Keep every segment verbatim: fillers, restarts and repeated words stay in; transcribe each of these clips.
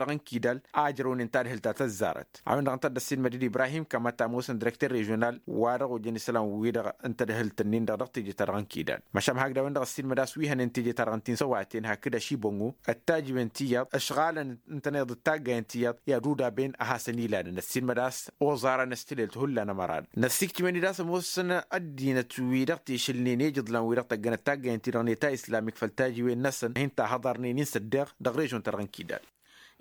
n-tijăt-ta-dăɣ n-kidal a ǝjrăwnen tadhǝlt ta tăzzarăt. A-wen-dăɣ ǝnta a dd-ăssiilmăd-dd ibrahim kămăta ămoosăn direkter režional wa dăɣ-ojăn isălan-wi-dăɣ n-tadhǝlt-nin-dăɣ dăɣ-tijăt-ta-dăɣ n-kidal. Măšan hakd a-wen-dăɣ ăssiilmăd a-s wi hănen tijăt-ta-dăɣ n-ti n-săwaten hakd ašibăngu ătajǝwen tiyyăḍ ăšɣalăn ǝntăneḍ d-taggayen tiyyăḍ i-ad-udaben a hasăn-ilalăn ăssiilmăd a-s oẓarăn s-tilelt hullan ămăran. Năssiktǝwen-dd a-s ămoosăn ăddinăt-wi-dăɣ tišǝlnen i-ijǝḍlan-wi-dăɣ tăggănăt taggayen-ti-dăɣ n-eta islamik făll-tajiwen-năsăn a hin-tahăḍarnen-in s-ăddeɣ dăɣ-režon-ta-dăɣ n-kidal.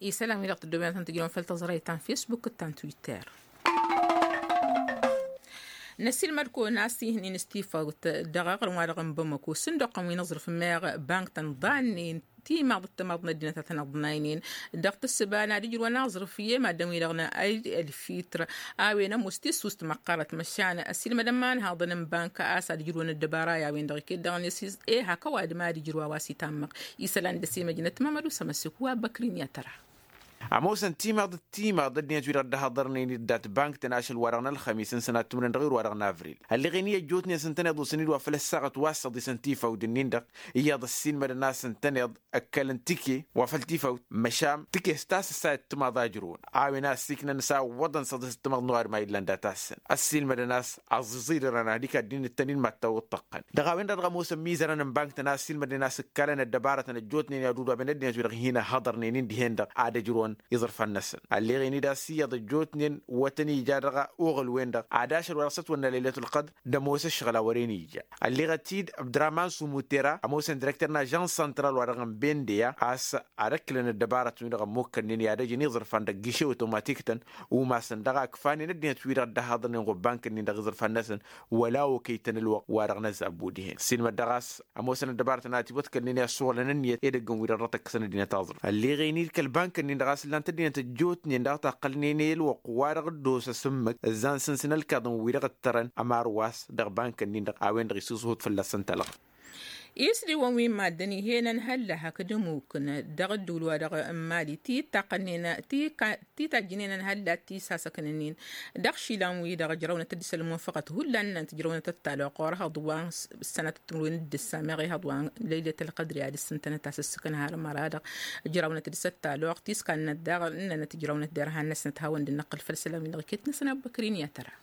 Isălan-wi-dăɣ tăddobinăt n-tǝjrăwăn făll-tăẓrăyt ta n-fesbuk d-ta n-twitter. Năsilmăd-kăwăn a-s ihǝnnin s-tifawt dăɣ-aɣrǝm-wa-dăɣ n-bamăko s-ǝndoqqăn wi n-aẓrǝf meɣ bank-tăn ḍannen timaḍ d-timaḍ n-ăddinăt a tăn-ăḍnaynen. Dăɣ-tǝssǝba n-ad-ǝjrǝwăn aẓrǝf i-maddǝn-wi-dăɣ n-ayd ălfitr a-wen ămoos tissust măqqărăt măšan ăssiilmădăn imanhaḍăn n-bank a-s ad-ǝjrǝwăn ăddăbara i-a-wen-dăɣ iket dăɣ-net. E hak ăwadǝm ad-ǝjrǝw a-wa s-itammăɣ isălan d-ăsimăjnăt mamădu s-ămăsek wa băkrin i-ad-tăra. Ămoosăn timaḍ d-timaḍ ăddinăt-wi-dăɣ dd-hăḍărnen dd-dat bank-tăn ašăl-wa-dăɣ n-ălxămis n-sănat timǝrwen dăɣ-iru-wa-dăɣ n-avril. Ălleɣen-i ăjjootnen s-ǝntăneḍ osăn-dd wa făl ăssaɣăt wa s-săḍisăn tifawt-nin-dăɣ iyyăḍ ăssiilmădăn a-s ǝntăneḍ ăkkălăn tike wa făl tifawt măšan tike s-tasăt sayăt timaḍ a ǝjrǝwăn a-wen a ăssiiknăn s-a ǝwwăḍăn săḍisăt timaḍ n-ăwadǝm a illan dat-asăn ăssiilmădăn a-s ăẓẓiẓirărăn ad-ikadden d-tăn-in mad-tawǝḍ tăqqăn. Dăɣ-a-wen-dăɣ dăɣ-ămoosăn imizărăn n-bank-tăn a ăssiilmădnen a-s ǝkkalăn ăddăbarătăn ăjjootnen i-ad-udu abăn ăddinăt-wi-dăɣ hin-ăhhăḍărnen-in dihen-dăɣ ad-ăjrǝwăn iẓrǝfan-năsăn. Ălleɣen-dd a-s iyyăḍ ăjjootnen wătăn ija dăɣ-oɣǝl-wen-dăɣ ad-ašăl wa dăɣ-s ătwănna lăylat ălqădr d-ămoos ǝššăɣǝl a wăren ija. Ălleɣăt-dd abdăraman sumutera ămoosăn direkter n-ažans santral-wa-dăɣ n-bendeya a-s ad-ăkklăn ăddăbarătăn-wi-dăɣ ămmukkănnen i-ad-ăjǝn iẓrǝfan dăgg-išewăt omatik-tăn umasăn dăɣ-a ǝkfanen ăddinăt-wi-dăɣ dd-ăhhăḍnen ɣur-bank-nin dăɣ-iẓrǝfan-năsăn. Wăla okăy-tăn ălwăqq-wa-dăɣ n-ăzabbu dihen ăssiilmăd dăɣ-a-s ămoosăn ăddăbarătăn a ătiwăḍkălnen i-ăssuɣlăn ǝnniyăt edăggăn-wi-dăɣ dăɣ-tăkkăsăn ăddinăt aẓrǝf. Ălleɣen-dd kăl-bank-nin-dăɣ a-s ǝllan-t ăddinăt ăjjootnen dăɣ-taqqălnen i-ălwăqq-wa-dăɣ dd-osăs ǝmmǝk ǝzzan sǝnsǝn ălkaḍăn-wi-dăɣ ǝttărăn ămarwas dăɣ-bank-nin-dăɣ a-wen-dăɣ isiẓhut fălla-săn talɣa. Isdiwăn wi n-maddǝn ih'-en ănhălla hakd ămukǝn dăɣ-ǝddǝwǝl-wa-dăɣ n-mali ti-ǝttaqqălnen ti-tajjǝnen ănhălla tisasăknăn-in dăɣ-išilan-wi-dăɣ ǝjrăwnăt-dd s-ălmunfăɣăt hullan ǝnnăn tǝjrăwnăt ăttalăɣ ɣur-ehăḍ wa s-sănăt timǝrwen d-ǝssa meɣ ehăḍ wa lăylăt ălqădri ad-ǝssǝntănăt a-s ǝssǝkǝn har măra-dăɣ. Ǝjrăwnăt-dd s-ăttalăɣ tiskannăt daɣ ǝnnănăt ǝjrăwnăt derhan-năsnăt hawăn-dd-năqqǝl făll-isălan-wi-dăɣ iket-năsăn abbăkrin i-ad-tăra.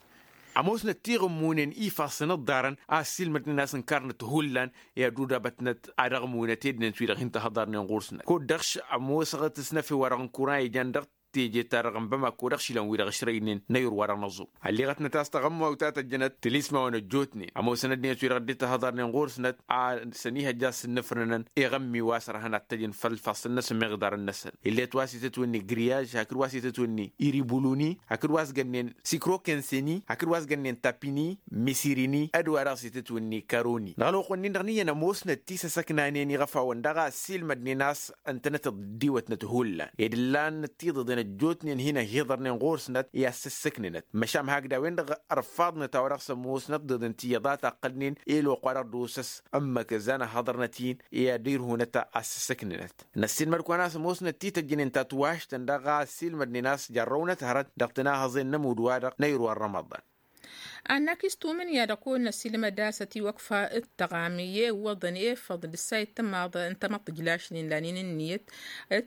Ămoosnăt tiɣǝmmunen ifassăn ǝḍḍarăn a ăssiilmădnen a-s ǝnkarnăt hullan i-ad-udabătnăt ad-ăɣmunăt ednăt wi-dăɣ hin-tăhăḍarnen ɣur-snăt kud-dăɣ š-ămoosăɣăt s-năfe-wa-dăɣ n-kuran ijan dăɣ-teje-ta-dăɣ n-bamako dăɣ-išilan-wi-dăɣ ǝšrăynen n-ayǝr-wa-dăɣ n-aẓum. Ălleɣătnăt a-s taɣămmawt a tăjjănăt tǝlismawăn ăjjootnen ămoosăn ăddinăt-wi-dăɣ dd-tăhăḍarnen ɣur-snăt a săn-ihăjja s-ǝnnǝfrănăn iɣămmi wa s-ărhăn ad-t-ăjǝn făll-ifassăn-năsăn meɣ iḍarăn-năsăn. Illet wa s-itǝtwǝnni griyaj hakd wa s-itǝtwǝnni iribuluni hakd wa s-gănnen sikrokenseni hakd wa s-gănnen tapini misirini ădwa daɣ s-itǝtwǝnni karoni dăɣ-ălwăqq-wǝnnin-dăɣ n-iyyăn ămoosnăt tisăsăknanen iɣăfawăn daɣ a ăssiilmădnen a-s ǝntănăt dd-iwătnăt hullan ed ǝllan tiḍeḍen ăjjootnen hin-ăhiḍărnen ɣur-snăt i-ad-sǝssǝknǝnăt măšan hakd a-wen-dăɣ ărfaḍnăt a-wa dăɣ-s ămoosnăt tiḍeḍen ti iyyăḍ a taqqălnen i-ălwăqq-wa-dăɣ d-osăs ǝmmǝk ǝzzan ăhhăḍărnăt-in i-ad-irhunăt a ăssǝssǝknǝnăt. Năssiilmăd-kăwăn a-s ămoosnăt tităjjǝnen ta tǝwaštăn daɣ a ăssiilmădnen a-s jarrăwnăt hărăt dăɣ-tinahăẓen n-ămudd-wa-dăɣ n-ayǝr wa n-rămăḍan. Annak-i s-tumǝnǝya-dăɣ kăwăn-năssiilmăd a-s ătiwăkfa d-tăɣam i-iwwăḍăn efăḍ d-ǝssa i-tămaḍ n-tamăḍt tǝjlašnen lanen ǝnniyăt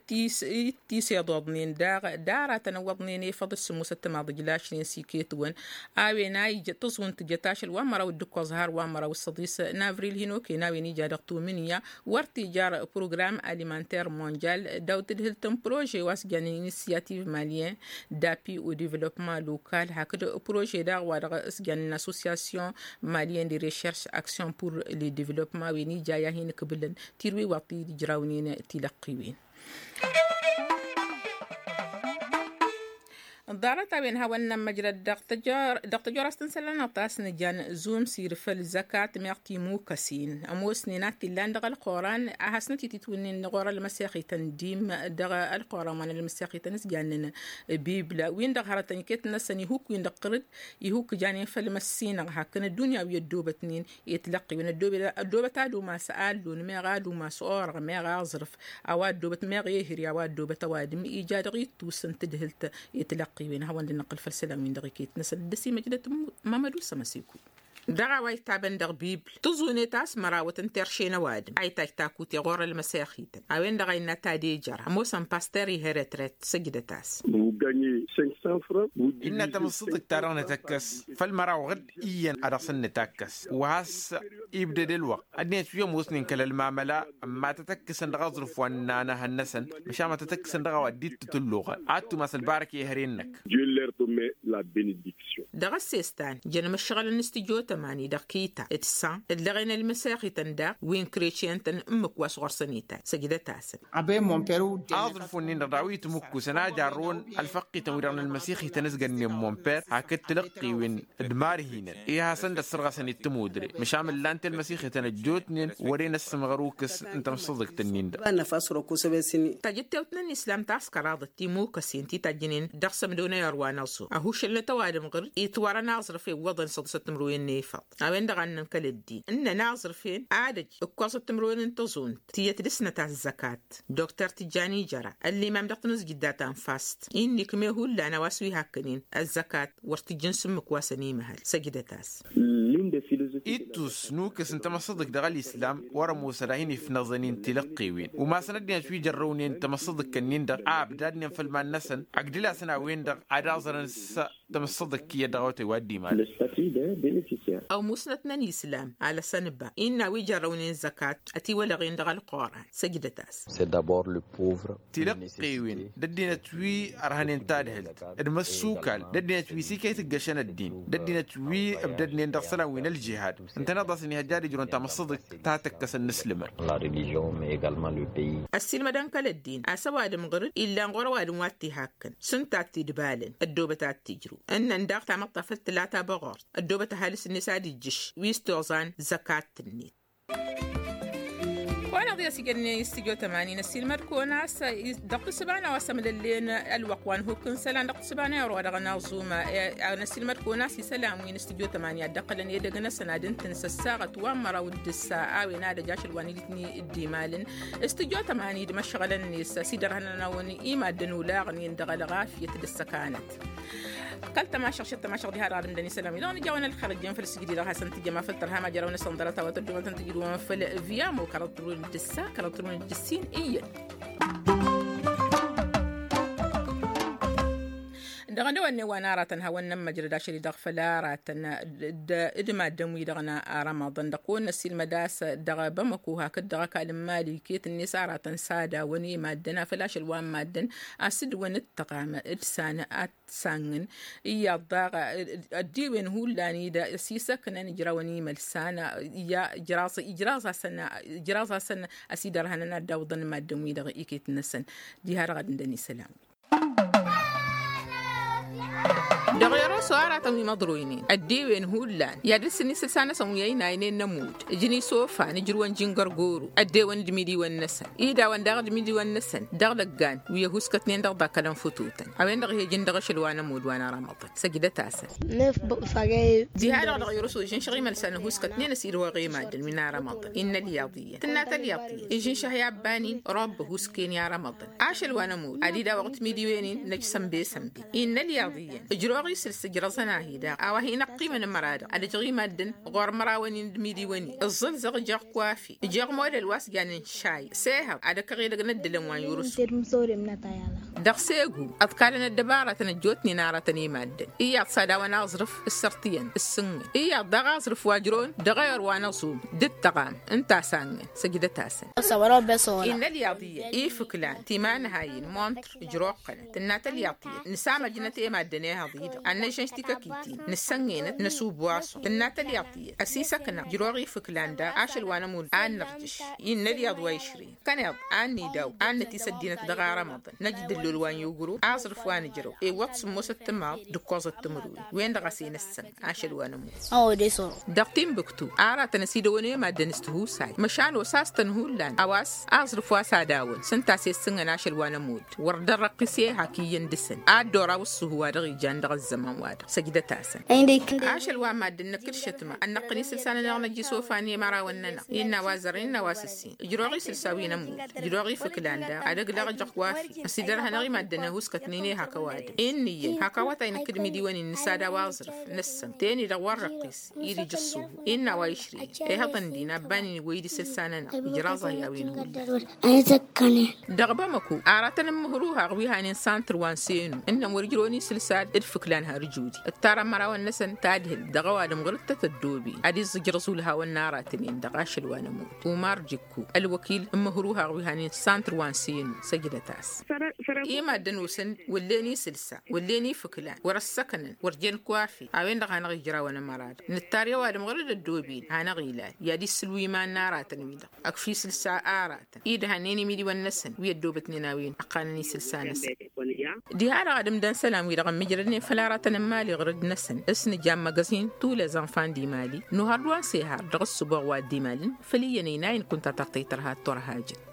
d-tiseḍoḍnen daɣ d-aratăn ǝwwăḍnen efăḍ d-sǝmmosăt tămaḍ tǝjlašnen s-iket-wăn. A-wen a ija tǝẓwǝnt tǝjăt ašăl wa n-măraw d-ǝkkoẓ har wa n-măraw s-săḍis n-avril hin-okăyăn a-wen ija dăɣ-tumǝnǝya wăr t-ijar program alimanter monjal daw-tǝdhǝlt n-prože wa s-jannen inisiyativ malyen d-appi u-divlopman lokal hakd prože daɣ wa dăɣ-s jannen asosiyasyon malyen de rešerš aksion pur le divlopman a-wen ija i-ad-hin-ǝkbǝlăn tirwiwaḍ ti dd-ijrawnen tilăqqiwen. Ḍarăt-a-wen hawăn-nămmăjrăd dăɣ-tăjorast n-isălan a ta s-nǝjan zumsir făll-zăkat meɣ timukăsin ămoosnen a t-illan dăɣ-ălqoran a hasnăt-ititwǝnnin ɣur-ălmăsexităn dim dăɣ-ălqoran wa n-ălmăsexităn s-jannen bibla-win-dăɣ hărătăn iket-năsăn ihuk-win-dăɣ qărǝd ihuk janen făll-măssinăɣ hakd ăddunya wi ăddoobătnen i-tilăqqiwen ăddoobăt ad-umas allun meɣ ad-umas orăɣ meɣ aẓrǝf a-wa ăddoobăt meɣ ehări a-wa ăddoobăt ăwadǝm ija dăɣ-ittus n-tǝdhǝlt i-tilăqqiwen a hawăn-dd-năqqǝl făll-isălan-win-dăɣ iket-năsăn dd-ăsimăjnăt. Mamădu s-ămăsikuy dăɣ-a-wa itaben dăɣ-bibl tǝẓunet a-s mărawăt n-terše n-ăwadǝm a itaj takute ɣur-ălmăsexităn a-wen-dăɣ a innă tadejăr ămoosăn paster ih' retret săjdăt-as. Innă tamǝssǝḍt ta-dăɣ nǝtăkkăs făll-măraw ɣǝd iyyăn a dăɣ-săn nǝtakkăs wa has-ibdăd ălwăqq ăddinăt wi ămoosnen kăl-ălmamăla ămma tătăkkǝsăn dăɣ-aẓrǝf wa n-inanăhăn-năsăn măšan ma tătăkkǝsăn dăɣ-a-wa dd-tǝtǝlluɣ ad-tumas ălbarăk i-ehăre-năk. Dăɣ-ăssestan jăn măššăɣǝlăn s-tijotăm. Mani dăɣ-kita d-săn ǝllăɣen ălmăsexităn daɣ wi n-kretiyăn-tăn ǝmmǝk wa s-ɣur-săn itat săjdăt-asăn. Aḍrǝf-wǝnnin-dăɣ daɣ wi tǝmǝkkusăn a jarrăwăn ălfăqqităn-wi-dăɣ n-ălmăsexităn s-gănnen monper hakd tilăqqewen d-imarhinăn i-hasăn-dd-ăssărɣăsăn i-tămudre măšan mǝllan-t i-ălmăsexităn ăjjootnen wăren ăssǝmɣăr ukǝs n-tamsǝḍǝkt-nin-dăɣ. Tajǝttewt n-ănislam taskăraḍăt timukăsen ti tajjǝnen dăɣ-sămdonăy ărwa n-aẓu ăhušălnăt ăwadǝm ɣǝr-dd itwărăn aẓrǝf iwwăḍăn săḍǝsăt timǝrwen n-efăḍ a-wen-dăɣ a ǝnnăn kăl-ăddin ǝnnăn aẓrǝf-en ad-ăj ǝkkoẓăt timǝrwen n-tăẓunt tiyyăt d-ǝsnăt azzăkat. Doktor tijjani jăra ăllimam dăɣ-tanǝzjǝdda ta n-fast innă ikme hullan a-wa s-wi hakkănen ăzzăkat wăr t-ǝjjǝn s-ǝmmǝk wa săn imăhăl săjdăt-as. Ittus n-ukǝs n-tamăssăḍǝkt dăɣ-ălislam wăr-ămoos ad-ahin-ifnăẓăn i-n tilăqqewen umasăn ăddinăt wi jărrăwnen tamăssăḍǝkt-nin-dăɣ a ǝbdadnen făll-iman-năsăn ăgdǝl-asăn a-wen-dăɣ ad-aẓrăn s-tamăssăḍǝkt iyyăt dăɣ-awătay wa dd-imalăn. Ăwmusnăt n-ănislam alăsăn ba innă a wi jărrăwnen zăkat ătiwălăɣen dăɣ-ălquran săjdăt-as. Tilăqqewen d-ăddinăt wi ărhănen tadhǝlt d-imăssukal d-ăddinăt wi s-iket ǝggăšăn ăddin d-ăddinăt wi ǝbdădnen dăɣ-isălan wi n-ălžihad ǝntăneḍ-asăn ihăjja ad-ǝjrǝwăn tamăssăḍǝkt ta tăkkăsăn n-asǝlǝmăn. Ăssiilmădăn kăl-ăddin a-s ăwadǝm ɣǝr-dd illan ɣur-ăwadǝm wa t-ihakkăn s-ǝnta a t-idbalăn ăddoobăt ad-t-ijrǝw ǝnnăn daɣ tamăḍt ta făl tǝla ta băɣort ăddoobăt ăhalǝs-net ad-ijjǝš wi s-toẓan zăkat-net. Kăwăn-aḍ i-ăsijănnen i-studyo tămani n-ăssiilmăd-kăwăn a-s dăɣ-tǝssǝba n-a-wa s-ămlăllen ălwăqq wa n-ihukk n-isălan dăɣ-tǝssǝba n-ewăr wa dăɣ-naẓuma. N-ăssiilmăd-kăwăn a-s isălan wi n-studyo tămani ad-dd-ăqqălăn edăgg-năsăn ad-ǝntǝn s-ăssaɣăt wa n-măraw d-ǝssa a-wen ad-ăj ašăl wa n-ilǝtni dd-imalăn studyo tămani d-imăšɣălăn-net s-idărhănăn-awăn i-maddǝn olaɣnen dăɣ-ălɣafyăt d-ăssăkanăt. Kăl-tămašăɣ šăt tămašăɣ diha dăɣ-ad-ǝmdăn isălan-wi-dăɣ nǝja-wăn ălxer ăjjeen făll-sǝjdǝy-dăɣ hasăn-tǝjjăm afăl tărham ajăraw-năsăn ḍarăt a-wa tăddumătăn tǝjrǝwăn făll-viamo kăraḍ tǝrwǝn d-ǝssa kăraḍ tǝrwǝn d-ǝssin iyyăn. Dăɣ-năwănne wa n-aratăn hawăn-nămmăjrăd ašăl-i-dăɣ făll-aratăn d-maddǝn-wi-dăɣ n-arămăḍăn dăɣ-kăwăn-năssilmăd a-s dăɣ-bamăko hakd dăɣ-ăkall n-mali iket-net aratăn s-ad-awăn i-maddǝn afăl ašăl wa n-maddǝn a-s dd-wăn ǝttăɣam d-san ad-t-sangǝn. Iyyăḍ daɣ ăddiwen hullan-i-dăɣ s-isăknăn ǝjrawăn imălsan. Ijraẓ-asăn ijraẓ-asăn ăsidărhănăn ad-dd-awǝḍăn maddǝn-wi-dăɣ iket-năsăn. Diha-dăɣ ad-ǝndăn isălan-wi. Dăɣ-eroso aratăn wi măḍroynen ăddewen hullan i-ad-ǝlsǝn isǝlsa-năsăn wi ăynaynen n-ămudd ǝjǝn isofan ǝjrǝwăn jingărgoru ăddewen d-imidiwăn-năsăn idawăn daɣ d-imidiwăn-năsăn dăɣ-lăggan wi ăhuskătnen dăɣ-ḍakălăn fătutăn. A-wen-dăɣ ih'-ejǝn dăɣ-ašăl wa n-ămudd wa n-ara măḍăn săjdăt-asăn. Diha-dăɣ dăɣ-irusu ǝžǝnšăɣ imălsan ăhuskătnen ăsidăwăɣ i-maddǝn wi n-ara măḍăn innă ălyaḍ iyyăn tǝnna-t ălyaḍ iyyăn ǝžǝnšăh i-abban-in robba ăhuskăyăn i-ara măḍăn. Ašăl wa n-ămudd ad-idawăɣ timidǝwen-in năj sănbe-sănbe innă ălyaḍ iyyăn ǝjrăwăɣ isǝls ǝjrăẓăn-ahi daɣ a-wa hin-ăqqimăn ămăra-dăɣ ad-ăjăɣ i-maddǝn ɣur-mărawăn-in d-imidǝwen-in ǝẓẓǝlzăɣ ǝjăɣ kwafi ǝjăɣ modăl wa s-janen šay s-ehăḍ ad-ăkkăɣ edăgg n-ăddǝlăn wa n-irusu. Dăɣ-segu ăḍkalăn ăddăbaratăn ăjjootnen aratăn i-maddǝn iyyăḍ s-ad-awăn aẓrǝf ǝssărtǝyăn ǝssǝnnǝn iyyăḍ daɣ aẓrǝf wa ǝjrăwăn dăɣ-ewăr wa n-aẓum d-ǝttăɣam ǝnta a-s angăn. Săjdăt-asăn. Innă ălyaḍ iyyăn ifǝklan timanhayen montr ǝjroqqălăn tǝnna-t ălyaḍ tiyyăt nǝsamăjnăt i-maddǝn ehăḍ-i-dăɣ ad-năžžănš tikăkitin nǝssănnenăt năsubwasu tǝnna-t ălyaḍ tiyyăt ăsisăkna ǝjroɣ ifǝklan daɣ ašăl wa n-ămudd ad-nărjǝš. Innă ălyaḍ wa išrǝyăn kăneḍ ad-nidaw ad-nătis ăddinăt dăɣ-arămăḍăn năj d-ǝllol wa n-iwǝgrǝw aẓrǝf wa nǝjrăw iwwăḍ sǝmmosăt timaḍ d-ǝkkoẓăt timǝrwen wen-dăɣ a-s enăssăn. Ašăl wa n-ămudd dăɣ-timbuktu aratăn ăsidăwăn i-maddǝn s-tihusay măšan osas-tăn hullan a-wa s-aẓrǝf wa s-ad-awăn s-ǝnta a-s issǝnnăn ašăl wa n-ămudd wăr dd-ărrăqqis i-ehak iyyăn dăɣ-săn ad-dd-oraw ǝṣṣuhu wa dăɣ-ijan dăɣ-ăzzăman-wa-dăɣ. Săjdăt-asăn. Ašăl wa n-maddǝn năkk d-šătma ănnăqqǝn isǝlsa-nănăɣ năjj isofan i-imărawăn-nănăɣ innă a-wa zărăn innă a-wa s-ǝssin ǝjrăwăɣ isǝlsa wi n-ămudd ǝjrăwăɣ ifǝklan daɣ ad-ăglăɣ ăjăɣ kwafi ăsidărhănăɣ i-maddǝn ăhuskătnen i-hak ăwadǝm. Inn'-iyyăn hak awătay năkk d-imidiwăn-in nǝsad a-wa ăẓrǝf năssăn ten-i-dăɣ wa n-răqqis iri jǝṣṣu innă a-wa išrǝyăn ehăḍăn din abban-in iwwăy-dd isǝlsa-nănăɣ ǝjraẓ-ahi a-wen hullan. Dăɣ-bamăko aratăn n-imǝhruhaɣ wi hanen santr wa n-senu ǝnnăn wăr ǝjrăwăn isǝlsa d-fǝklan har ǝjrǝw. ǝttar ămărawăn-năsăn tadhǝl dăɣ-ăwadǝm ɣur-dd tăt-ăddoben ad-iẓẓǝjrăẓ ulhawăn n-aratăn-en dăɣ-ašăl wa n-ămut. Umar jikku ălwăkil n-imǝhrǝwhaɣ wi hanen santr wa n-senu săjdăt-as. I-maddǝn-osăn wăllen isǝlsa wăllen ifǝklan wăr-ăssăknăn wăr jen kwafe a-wen-dăɣ hanăɣ-ijrawăn ămăra-dăɣ nǝttar i-ăwadǝm ɣur-dd ăddoben hanăɣ-ilal i-ad-issǝl wi iman n-aratăn-wi-dăɣ ăkf isǝlsa aratăn idhannen imidiwăn-năsăn wi ăddoobătnen a-wen ăqqanăn isǝlsa-năsăn. Diha-dăɣ ad-ǝmdăn isălan-wi-dăɣ ămmijrădnen făll-aratăn n-imali ɣur-dd-năsăn s-nǝja n-măgăzin tous les enfants du mali n-uhărd wa n-sehar dăɣ-ǝssǝboɣ wa dd-imalăn făll-iyyăn ăynayăn kunta tărtăy tărha d-turhajăt.